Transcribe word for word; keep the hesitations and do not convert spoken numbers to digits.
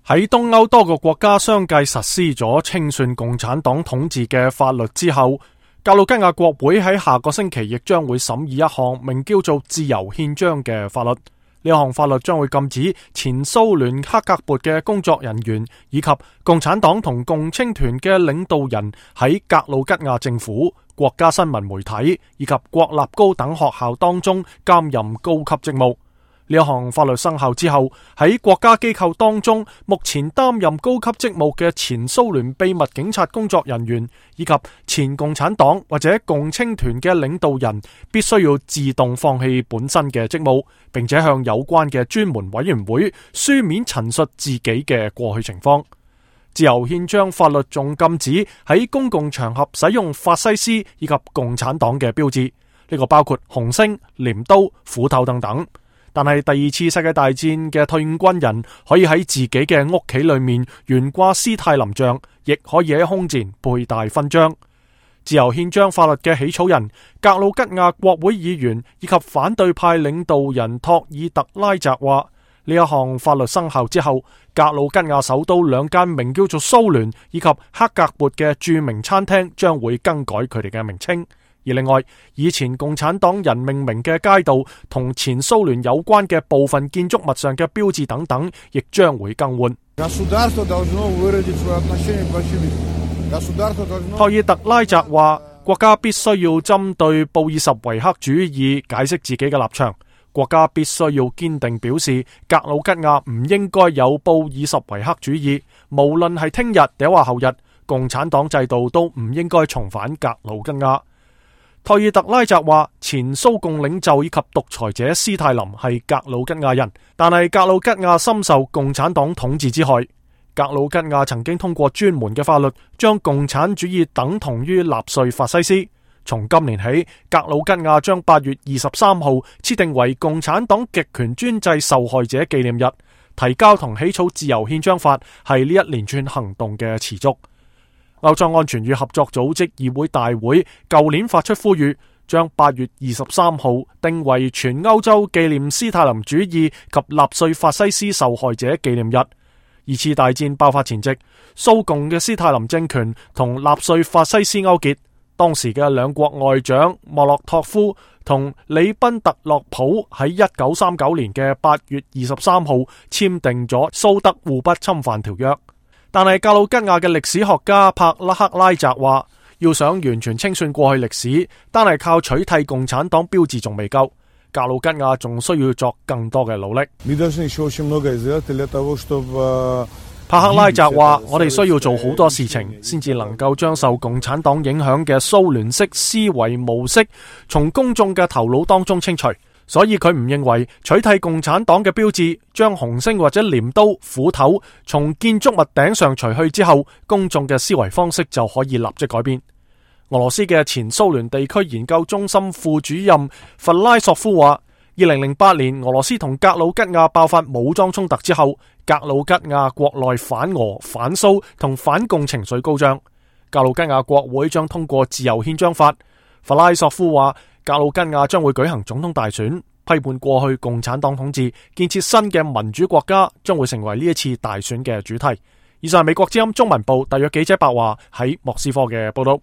喺東歐多個國家相繼實施咗清算共產黨統治嘅法律之後，格魯吉亞國會喺下個星期亦將會審議一項名叫做自由憲章嘅法律。呢項法律將會禁止前蘇聯克格勃嘅工作人員以及共產黨同共青團嘅領導人喺格魯吉亞政府、國家新聞媒體以及國立高等學校當中擔任高級職務。呢一項法律生效之後，喺國家機構當中，目前擔任高級職務嘅前蘇聯秘密警察工作人員以及前共產黨或者共青團嘅領導人，必須要自動放棄本身嘅職務，並且向有關嘅專門委員會書面陳述自己嘅過去情況。自由憲章法律仲禁止喺公共場合使用法西斯以及共產黨嘅標誌，呢個包括紅星、鐮刀、斧頭等等。但係第二次世界大戰嘅退伍軍人可以喺自己嘅屋企裏面懸掛斯泰林像，亦可以喺胸前佩戴勳章。自由憲章法律嘅起草人格魯吉亞國會議員以及反對派領導人托爾特拉澤話，呢一項法律生效之後，格魯吉亞首都兩間名叫做蘇聯以及克格勃嘅著名餐廳將會更改佢哋嘅名稱。而另外，以前共產黨人命名嘅街道同前蘇聯有關嘅部分建築物上嘅標誌等等，亦將會更換。托爾特拉澤話，國家必須要針對布爾什維克主義解釋自己嘅立場，國家必須要堅定表示格魯吉亞唔應該有布爾什維克主義，無論係聽日定話後日，共產黨制度都唔應該重返格魯吉亞。托爾特拉澤話，前蘇共領袖以及獨裁者斯泰林係格魯吉亞人，但係格魯吉亞深受共產黨統治之害。格魯吉亞曾經通過專門嘅法律，將共產主義等同於納粹法西斯。從今年起，格魯吉亞將八月二十三號設定為共產黨極權專制受害者紀念日。提交同起草自由憲章法係呢一連串行動嘅持續。歐洲安全與合作組織議會大會舊年發出呼籲，將八月二十三號定為全歐洲紀念斯泰林主義及納粹法西斯受害者紀念日。二次大戰爆發前夕，蘇共嘅斯泰林政權同納粹法西斯勾結，當時嘅兩國外長莫洛托夫同里賓特洛普喺一九三九年嘅八月二十三號簽訂咗蘇德互不侵犯條約。但係格魯吉亞嘅歷史學家帕拉克拉澤話，要想完全清算過去歷史，單係靠取締共產黨標誌仲未夠，格魯吉亞仲需要作更多嘅努力。帕克拉澤話，我哋需要做好多事情，先至能夠將受共產黨影響嘅蘇聯式思維模式從公眾嘅頭腦當中清除。所以佢唔認為取締共產黨嘅標誌，將紅星或者鐮刀、斧頭從建築物頂上除去之後，公眾嘅思維方式就可以立即改變。俄羅斯嘅前蘇聯地區研究中心副主任弗拉索夫話，二零零八年俄羅斯同格魯吉亞爆發武裝衝突之後，格魯吉亞國內反俄、反蘇同反共情緒高漲，格魯吉亞國會將通過自由憲章法。弗拉索夫話，格魯吉亞將會舉行總統大選，批判過去共產黨統治，建設新嘅民主國家，將會成為呢一次大選嘅主題。以上係美國之音中文部特約記者白華喺莫斯科嘅報道。